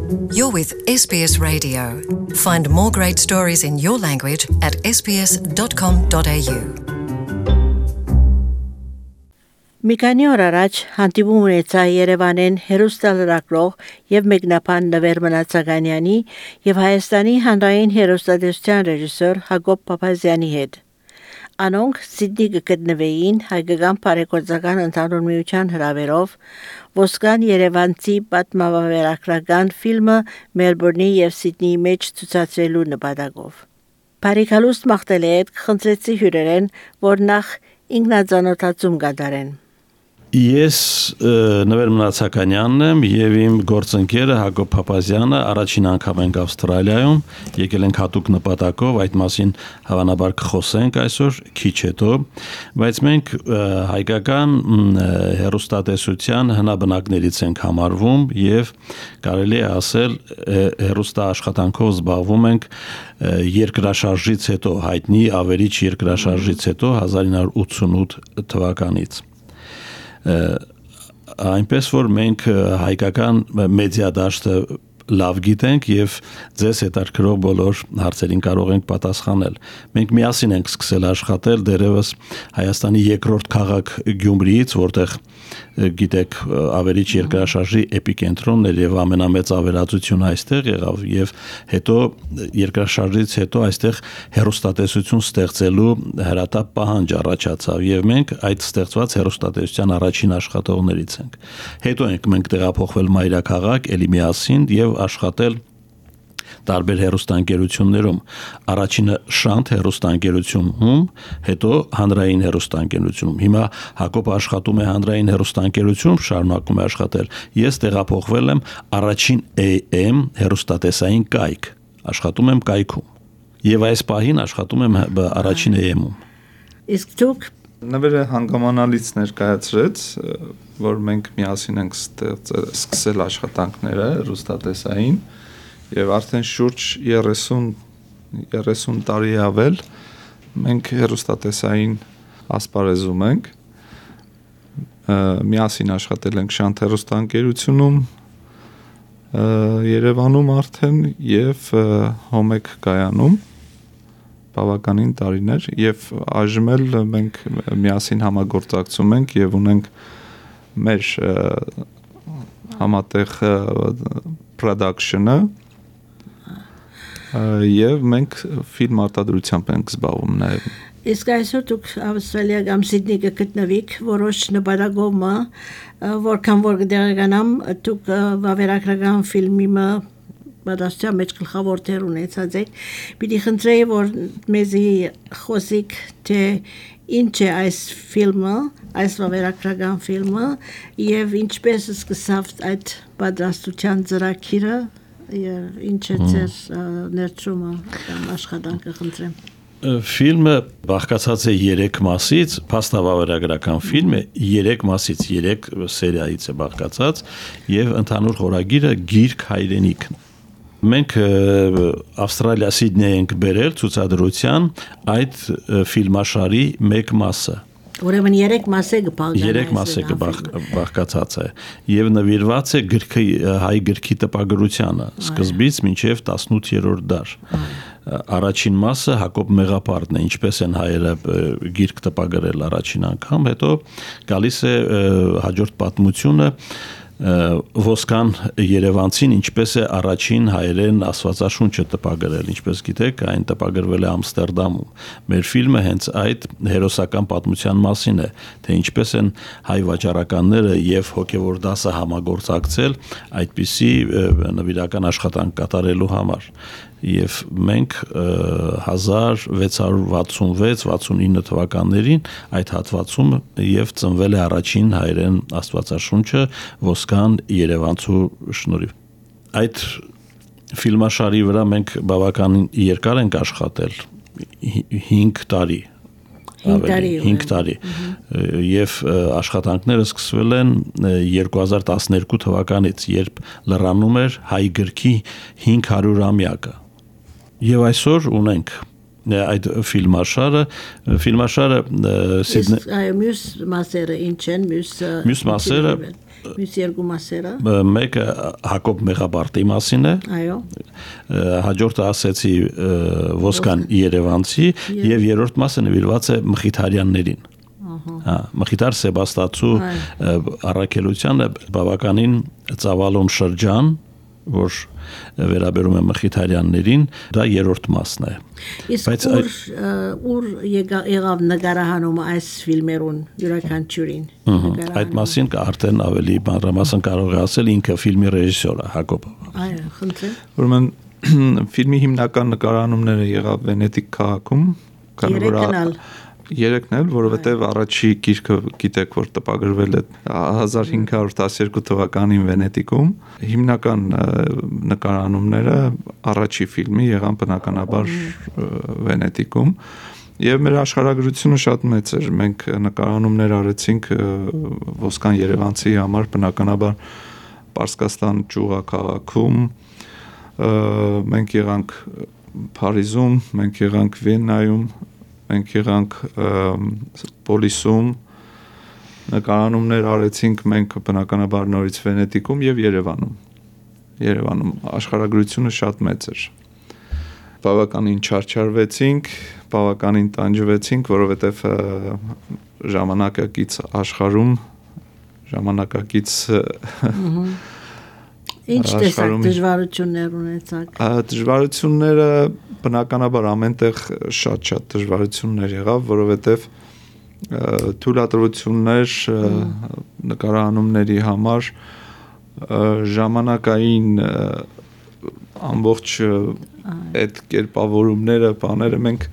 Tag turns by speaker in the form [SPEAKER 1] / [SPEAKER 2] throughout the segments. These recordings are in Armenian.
[SPEAKER 1] You're with SBS Radio. Find more great stories in your language at sbs.com.au.
[SPEAKER 2] Մի քանի օր առաջ հանդիպում ունեցա Երևանեն հերոստալրակրող եւ մեկնաբան Նվեր Մնացականյանի եւ Հայաստանի հանրային հերոստատեսության ռեժիսոր Հակոբ Փափազյանի հետ։ Անոնք Սիդնի գտնվեին հայկական բարեգործական ընդհանուր միության հրավերով Ոսկան Երևանցի պատմավավերագրական ֆիլմը Մելբուրնի եւ Սիդնիի մեջ ցուցադրելու նպատակով։ Բարիկալուստ մաղթել է խնդրեցի հյուրերեն, որ նախ ինքնազանոթացում կատարեն։
[SPEAKER 3] Ես Նվեր Մնացականյանն եմ եւ իմ գործընկերը Հակոբ Փափազյանը առաջին անգամ ենք Ավստրալիայում, եկել ենք հատուկ նպատակով, այդ մասին հավանաբար կխոսենք այսօր քիչ հետո, բայց մենք հայկական հերոստատեսության հնաբնակներից ենք համարվում եւ կարելի է ասել հերոստա աշխատանքով զբաղվում ենք երկրաշարժից հետո, հայտնի ավերիչ երկրաշարժից հետո 1988 թվականից այնպես որ մենք հայկական մեդիա դաշտը լավ գիտենք եւ ձեզ հետաքրքրող բոլոր հարցերին կարող ենք պատասխանել։ Մենք միասին ենք սկսել աշխատել դերևս Հայաստանի երկրորդ քաղաք Գյումրիից, որտեղ գիտեք ավերիչ երկրաշարժի էպիկենտրոնն էր եւ ամենամեծ ավերածությունը այստեղ եղավ եւ հետո երկրաշարժից հետո այստեղ հերոստատեսություն ստեղծելու հրատապ պահանջ առաջացավ եւ մենք այդ ստեղծված հերոստատեսության առաջին աշխատողներից ենք։ Հետո մենք տեղափոխվել մայրաքաղաք Էլիմիասին եւ աշխատել տարբեր հերոստանգերություններում, առաջինը Շանթ հերոստանգերությունում, հետո հանրային հերոստանգերությունում։ Հիմա Հակոբը աշխատում է հանրային հերոստանգերությունում, շարունակում է աշխատել։ Ես տեղափոխվել եմ առաջին AM հերոստատեսային կայք, աշխատում եմ կայքում։ Եվ այս պահին աշխատում եմ առաջին AM-ում։
[SPEAKER 2] Իսկ դուք
[SPEAKER 4] Նվերը հանգամանալից ներկայացրեց, որ մենք միասին ենք սկսել աշխատանքները հերոստատեսային եւ արդեն շուրջ 30 տարի ավել մենք հերոստատեսային ասպարեզում ենք միասին աշխատել ենք Շանթ հերոստանգերությունում Երևանում արդեն եւ Հոմեկ կայանում բավականին տարիներ եւ այժմ էլ մենք միասին համագործակցում ենք եւ ունենք մեր համատեղ production-ը եւ մենք ֆիլմ արտադրությամբ ենք զբաղվում նաեւ։
[SPEAKER 2] Իսկ այսօր դուք Ավստրալիա կամ Սիդնի գտնվիք որոշ նպատակով, որքան որ դերականամ դուք վավերագրական ֆիլմի Բադաստիա մեջ գլխավոր դեր ունեցած եք, պիտի խնդրեի, որ մեզի խոսիկ, թե ինչ է այս ֆիլմը, այս վավերագրական ֆիլմը եւ ինչպես սկսավ այդ պատրաստության ծրագիրը եւ ինչ է ձեր ներդրումը կամ աշխատանքը խնդրեմ։
[SPEAKER 3] Ֆիլմը բաղկացած է 3 մասից, փաստավավերագրական ֆիլմ է 3 մասից, 3 սերիայից է բաղկացած եւ ընդհանուր խորագիրը Գիրք հայրենիքն։ Մենք Ավստրալիա Սիդնեի ենք բերել ցուցադրության այդ ֆիլմաշարի մեկ մասը։
[SPEAKER 2] Ուրեմն 3 մաս է գբաղկացած։ 3 մաս է
[SPEAKER 3] բաղկացած է եւ նվիրված է հայ գրքի տպագրությանը, սկզբից մինչեւ 18-րդ դար։ Առաջին մասը Հակոբ Մեղապարտն է, ինչպես են հայերը գիրք տպագրել առաջին անգամ, հետո գալիս է հաջորդ պատմությունը Ոսկան Երևանցին ինչպես է առաջին հայերեն աստվածաշունչը տպագրել, ինչպես գիտեք, այն տպագրվել է Ամստերդամում։ Մեր ֆիլմը հենց այդ հերոսական պատմության մասին է, թե ինչպես են հայ վաճառականները եւ հոգեվոր դասը համագործակցել այդպիսի նվիրական աշխատանք կատարելու համար։ Եվ մենք 1666-69 թվականներին այդ հատվածում եւ ծնվել է առաջին հայերեն աստվածաշունչը Ոսկան Երևանցու շնորհիվ։ Այդ ֆիլմաշարի վրա մենք բավականին երկար ենք աշխատել 5 տարի 5 տարի եւ աշխատանքները սկսվել են 2012 թվականից, երբ լրանում էր հայ գրքի 500-ամյակը։ Եվ այսօր ունենք այդ ֆիլմաշարը
[SPEAKER 2] Սիդնեի մյուս մասերը ինչ են,
[SPEAKER 3] մյուս մասերը
[SPEAKER 2] Մյուս երկու մասերը։
[SPEAKER 3] Մեկը Հակոբ Մեղաբարտի մասին է։
[SPEAKER 2] Այո։
[SPEAKER 3] Հաջորդը ասեցի Ոսկան Երևանցի եւ երրորդ մասը նվիրված է Մխիթարյաններին։ Մխիթար Սեբաստացու առաքելությանը բավականին ծավալուն շրջան, որ վերաբերում է Մխիթարյաններին, դա երրորդ մասն է։
[SPEAKER 2] Իսկ ուր եղավ նկարահանումը այս ֆիլմերուն յուրաքանչյուրին։
[SPEAKER 3] Այդ մասին արդեն ավելի մանրամասն կարող է ասել ինքը ֆիլմի ռեժիսորը Հակոբը։
[SPEAKER 2] Այո, խնդրեմ։
[SPEAKER 4] Ուրեմն ֆիլմի հիմնական նկարահանումները եղավ Վենետիկ քաղաքում, երեքն էլ, որովհետև առաջի գիրքը գիտեք, որ տպագրվել է 1512 թվականին Վենետիկում, հիմնական նկարահանումները առաջի ֆիլմի եղան բնականաբար Վենետիկում, եւ մեր աշխարհագրությունը շատ մեծ էր, մենք նկարահանումներ արեցինք Ոսկան Երևանցի համար բնականաբար Պարսկաստան ճյուղաքաղաքում, մենք եղանք Փարիզում, մենք եղանք Վիեննայում, մենք եղանք Պոլիսում, նկարահանումներ արեցինք մենք բնականաբար նորից Վենետիկում եւ Երևանում աշխարհագրությունը շատ մեծ էր։ Բավականին չարչարվեցինք, բավականին տանջվեցինք, որովհետեւ ժամանակակից աշխարհում ժամանակակից
[SPEAKER 2] Ինչ տեսակ դժվարություններ ունեցաք։
[SPEAKER 4] Դժվարությունները բնականաբար ամենտեղ շատ դժվարություններ եղավ, որովհետև թույլատրություններ նկարահանումների համար ժամանակային ամբողջ այդ կերպավորումները, բաները մենք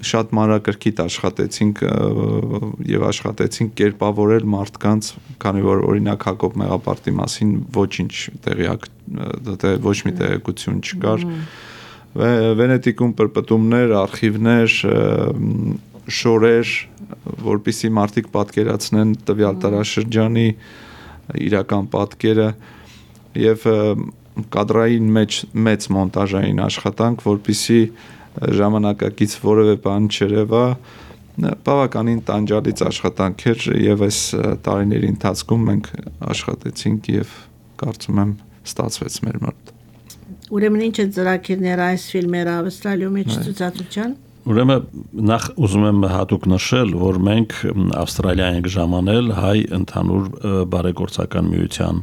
[SPEAKER 4] շատ մանրակրկիտ աշխատեցինք եւ աշխատեցինք կերպավորել մարդկանց, քանի որ օրինակ Հակոբ Մեղաբարտի մասին ոչինչ ոչ մի տեղեկություն չկար։ Վենետիկում պրպտումներ, արխիվներ, շորեր, որպեսզի մարդիկ պատկերացնեն տվյալ տարաշրջանի իրական պատկերը եւ կադրային մեծ մոնտաժային աշխատանք, որպեսզի ժամանակակից որևէ բան չերևա, բավականին տանջալից աշխատանք էր եւ այս տարիների ընթացքում մենք աշխատեցինք եւ կարծում եմ ստացվեց մեր մոտ։
[SPEAKER 2] Ուրեմն ինչ է ծրագիրները այս ֆիլմերը Ավստրալիում մեջ ցուցադրության։
[SPEAKER 3] Ուրեմն նախ ուզում եմ հատուկ նշել, որ մենք Ավստրալիա ենք ժամանել հայ ընդհանուր բարեգործական միության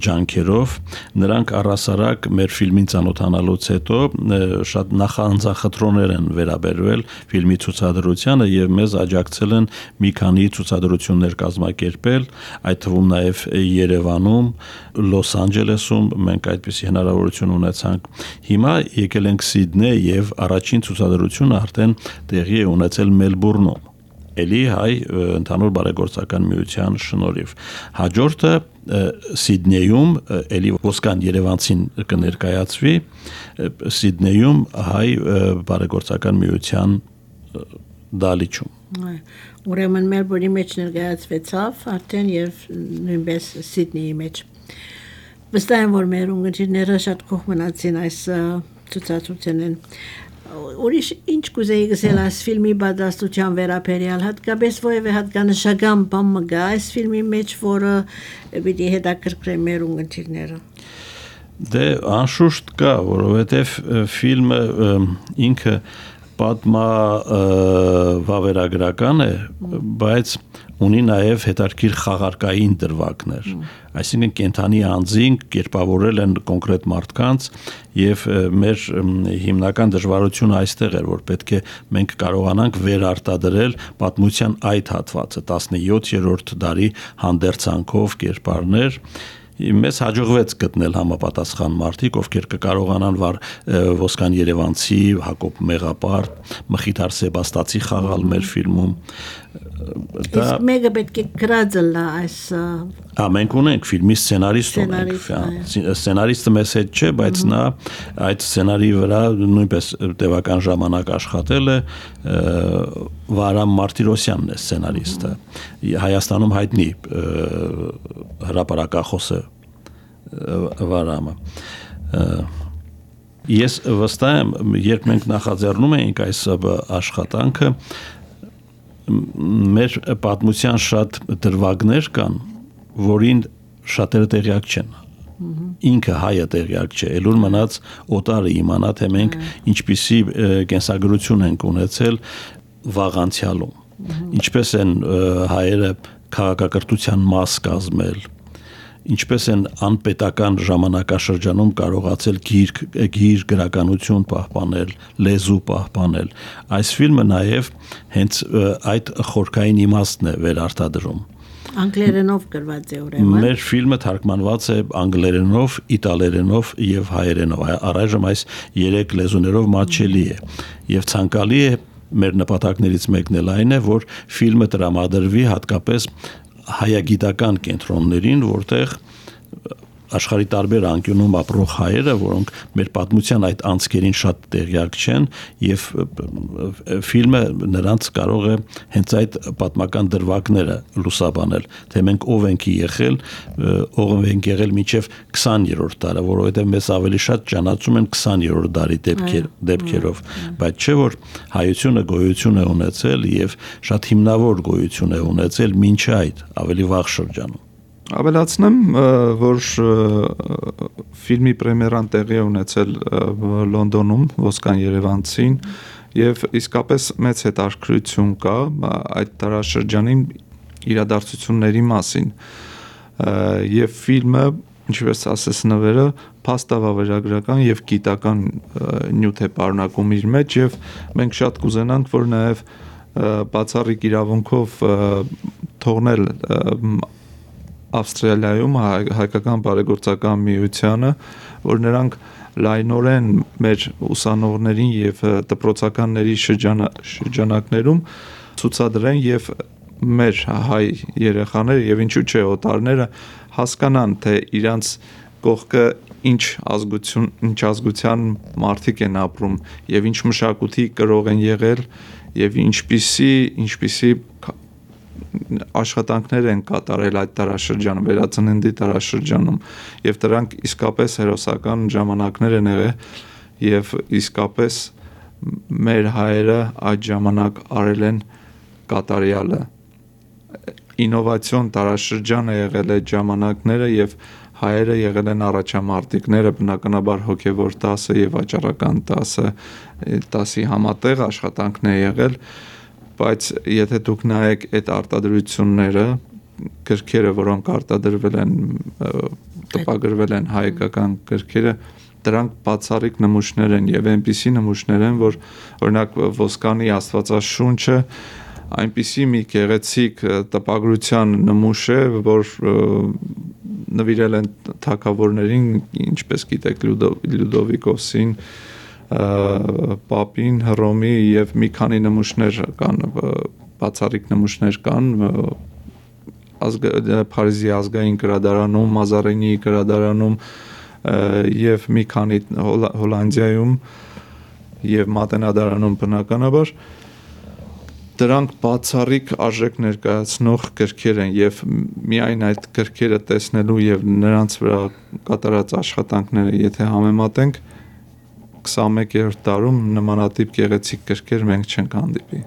[SPEAKER 3] ջանքերով, նրանք առասարակ մեր ֆիլմին ծանոթանալուց հետո շատ նախանձախնդրոներ են վերաբերվել ֆիլմի ցուցադրությանը եւ մեզ աջակցել են մի քանի ցուցադրություններ կազմակերպել, այդ թվում նաեւ Երևանում, Լոս Անջելեսում մենք այդպիսի հնարավորություն ունեցանք։ Հիմա եկել ենք Սիդնեյ եւ առաջին ցուցադրությունը արդեն տեղի է ունեցել Մելբուրնում, էլի հայ ընդհանուր բարեգործական միության շնորհիվ։ Հաջորդը Սիդնեյում էլի Ոսկան Երևանցին կներկայացվի, Սիդնեյում հայ բարեգործական միության դալիճում։
[SPEAKER 2] Ուրեմն Մելբուրնի մեջ ներկայացվեցավ արդեն եւ նույնպես Սիդնեյի մեջ։ Վստահ եմ, որ մեր ունգընտիրները շատ կողմ մնացին այս ցուցադրությանեն։ Ուրիշ ինչ կուզեի գսել այս ֆիլմի պատրաստության վերաբերյալ, հատկապես որևէ հատկանշական բան մգա այս ֆիլմի մեջ, որը պիտի հետաքրքրի մեր ունգընտիրները։
[SPEAKER 3] Դե անշուշտ կա, որովհետև ֆիլմը ինքը պատմա վավերագրական է, բայց ունի նաև հետաքրքիր խաղարկային դրվագներ։ Այսինքն կենթանի անձին կերպավորել են կոնկրետ մարդկանց եւ մեր հիմնական դժվարությունը այստեղ էր, որ պետք է մենք կարողանանք վերարտադրել պատմության այդ հատվածը 17-րդ դարի հանդերձանքով կերպարներ Մեզ հաջողվեց գտնել համապատասխան մարդիկ, ովքեր կկարողանան Ոսկան Երևանցի, Հակոբ Մեղաբարտ, Մխիթար Սեբաստացի խաղալ մեր ֆիլմում։
[SPEAKER 2] Իսկ մեկը պետք է գրած լա այս
[SPEAKER 3] Մենք ունենք ֆիլմի սցենարիստ ունենք։ Սցենարիստը մեզ հետ չէ, բայց նա այդ սցենարի վրա նույնպես տևական ժամանակ աշխատել է, Վարամ Մարտիրոսյանն է սցենարիստը։ Հայաստանում հայտնի հրապարակախոս է Վարամը։ Ես վստահ եմ, երբ մենք նախաձեռնում էինք այս աշխատանքը, մեր պատմության շատ դրվագներ կան, որին շատերը տեղյակ չեն։ Ինքը հայը տեղյակ չէ, ելուր մնաց օտարը իմանա, թե մենք ինչպիսի կենսագրություն ենք ունեցել վաղ անցյալում։ Ինչպես են հայերը քաղաքակրթության մաս կազմել, ինչպես են անպետական ժամանակաշրջանում կարողացել գիր գրականություն պահպանել, լեզու պահպանել։ Այս ֆիլմը նաև հենց այդ խորքային իմաստն է վերարտադրում։
[SPEAKER 2] Անգլերենով գրված է ուրեմն։
[SPEAKER 3] Մեր ֆիլմը թարգմանված է անգլերենով, իտալերենով եւ հայերենով։ Առայժմ այս 3 լեզուներով մատչելի է եւ ցանկալի է մեր նպատակներից մեկն էլ այն է, որ ֆիլմը տրամադրվի հատկապես հայագիտական կենտրոններին, որտեղ աշխարհի տարբեր անկյունում ապրող հայերը, որոնք մեր պատմության այդ անցքերին շատ տեղյակ չեն, եւ ֆիլմը նրանց կարող է հենց այդ պատմական դրվագները լուսաբանել, թե մենք ով ենք եղել, ով ենք եղել մինչև 20-րդ դարը, որովհետեւ մեզ ավելի շատ ճանաչում են 20-րդ դարի դեպքերով, բայց չէ որ հայությունը գոյություն է ունեցել եւ շատ հիմնավոր գոյություն է ունեցել մինչ այդ ավելի վաղ շրջանում։
[SPEAKER 4] Ավելացնեմ, որ ֆիլմի պրեմիերան տեղի է ունեցել Լոնդոնում, Ոսկան Երևանցին, եւ իսկապես մեծ հետաքրքրություն կա այդ տարաշրջանի իրադարձությունների մասին։ Եվ ֆիլմը, ինչպես ասես նվերը, փաստավավերագրական եւ գիտական նյութ է պարունակում իր մեջ, եւ մենք շատ կուզենանք, որ նաեւ բացառիկ իրավունքով թողնել Ավստրալիայում հայկական բարեգործական միությանը, որ նրանք լայնորեն մեր ուսանողներին եւ դպրոցականների շրջանակներում ցուցադրեն եւ մեր հայ երեխաները եւ ինչու՞ չէ օտարները հասկանան, թե իրանց կողքը ինչ ազգության մարդիկ են ապրում եւ ինչ մշակույթի կրող են եղել եւ ինչպիսի աշխատանքներ են կատարել այդ տարաշրջանում, վերածննդի տարաշրջանում եւ դրանք իսկապես հերոսական ժամանակներ են եղել եւ իսկապես մեր հայերը այդ ժամանակ արել են կատարյալը ինովացիոն տարաշրջան է եղել այդ ժամանակները եւ հայերը եղել են առաջամարտիկները բնականաբար հոգեվոր 10-ը եւ վաճառական 10-ի համատեղ աշխատանքն է եղել բայց եթե դուք նայեք այդ արտադրությունները, գրքերը, որոնք արտադրվել են, տպագրվել են հայկական գրքերը, դրանք բացառիկ նմուշներ են եւ այնպիսի նմուշներ են, որ օրինակ Ոսկանի Աստվածաշունչը այնպիսի մի գեղեցիկ տպագրության նմուշ է, որ նվիրել են թագավորներին, ինչպես գիտեք Լյուդովիկոսին, Պապին, Հռոմի եւ մի քանի նմուշներ կան, բացառիկ նմուշներ կան Փարիզի ազգային գրադարանում, Մազարինի գրադարանում եւ մի քանի Հոլանդիայում եւ Մատենադարանում բնականաբար դրանք բացառիկ արժեք ներկայացնող գրքեր են եւ միայն այդ գրքերը տեսնելու եւ նրանց վրա կատարած աշխատանքները եթե համեմատենք 21-րդ դարում նմանատիպ գեղեցիկ գրքեր մենք չենք հանդիպի։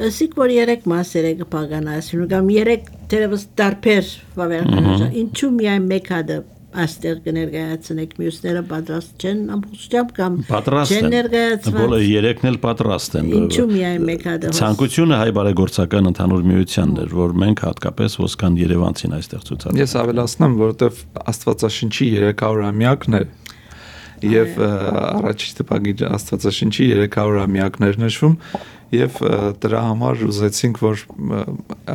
[SPEAKER 2] Ասիկ որ 3 մասեր է կպագանացնում, կամ 3 դերևս տարբեր վավերագրական, ինչու միայն մեկ հատը աստեղ կներկայացնեք, մյուսները պատրաստ չեն ամբողջությամբ կամ չեն ներկայացված։
[SPEAKER 3] Բոլորը 3-ն էլ պատրաստ են։
[SPEAKER 2] Ինչու միայն մեկ հատը։
[SPEAKER 3] Ցանկությունը հայ բարեգործական ընդհանուր միությանն էր, որ մենք հատկապես Ոսկան Երևանցին այստեղ ցուցադրենք։
[SPEAKER 4] Ես ավելացնեմ, որովհետև Աստվածաշնչի 300-ամյակն է եւ առաջի տպագիր Աստվածաշնչի 300-ամյակներ նշվում եւ դրա համար ուզեցինք որ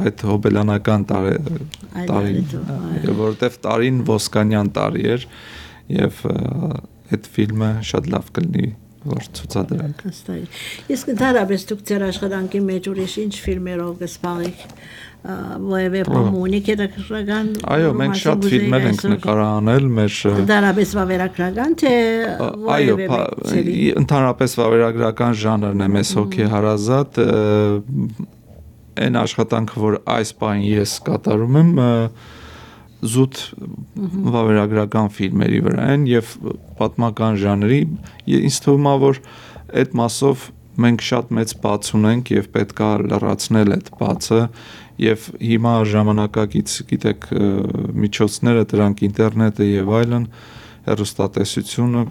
[SPEAKER 4] այդ հոբելյանական տարին որովհետեւ տարին ոսկանյան տարի էր եւ այդ ֆիլմը շատ լավ կլինի որ ցուցադրենք։
[SPEAKER 2] Իսկ դարաբես դուք ձեր աշխատանքի մեջ ուրիշ ինչ ֆիլմերով կսպառեք որևէ պոմունիկ հետաքրքրական։
[SPEAKER 4] Այո, մենք շատ ֆիլմեր ենք նկարահանել մեր
[SPEAKER 2] դարաբես վավերագրական թե որևէ։
[SPEAKER 4] Այո, ընդհանրապես վավերագրական ժանրն է մեզ հոգեհարազատ այն աշխատանքը որ այս պահին ես կատարում եմ զուտ վավերագրական ֆիլմերի վրա են եւ պատմական ժանրի ինձ թվում է որ այդ մասով մենք շատ մեծ բաց ունենք եւ պետքա լրացնել այդ բացը եւ հիմա ժամանակակից գիտեք միջոցները դրանք ինտերնետը եւ այլն հեռուստատեսությունը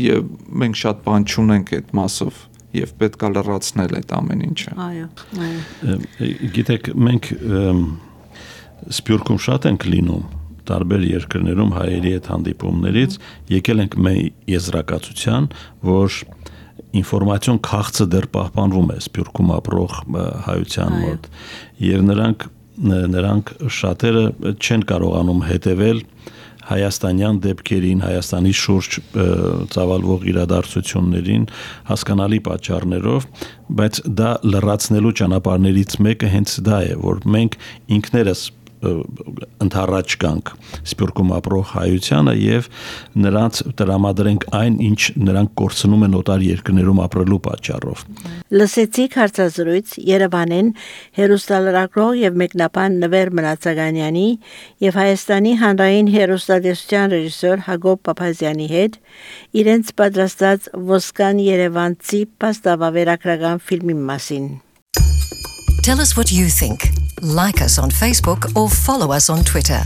[SPEAKER 4] եւ մենք շատ բան չունենք այդ մասով եւ պետքա լրացնել այդ ամեն ինչը
[SPEAKER 2] Այո
[SPEAKER 3] գիտեք մենք Սփյուռքում շատ ենք լինում տարբեր երկրներում հայերի հետ հանդիպումներից եկել ենք մեր եզրակացության որ ինֆորմացիոն քաղցը դեռ պահպանվում է Սփյուռքում ապրող հայության մոտ եւ նրանք շատերը չեն կարողանում հետևել հայաստանյան դեպքերին, Հայաստանի շուրջ ծավալվող իրադարձություններին հասկանալի պատճառներով, բայց դա լրացնելու ճանապարհներից մեկը հենց դա է, որ մենք ինքներս ընդառաջ գանք Սփյուռքում ապրող հայությանը եւ նրանց տրամադրենք այն ինչ նրանք կորցնում են օտար երկրներում ապրելու պատճառով
[SPEAKER 2] Լսեցիք հարցազրույց Երևանեն հերոստալրակրող եւ մեկնաբան Նվեր Մնացականյանի եւ Հայաստանի հանրային հերոստատեսության ռեժիսոր Հակոբ Փափազյանի հետ իրենց պատրաստած Ոսկան Երևանցի պաստավավերագրական ֆիլմի մասին
[SPEAKER 1] Tell us what you think. Like us on Facebook or follow us on Twitter.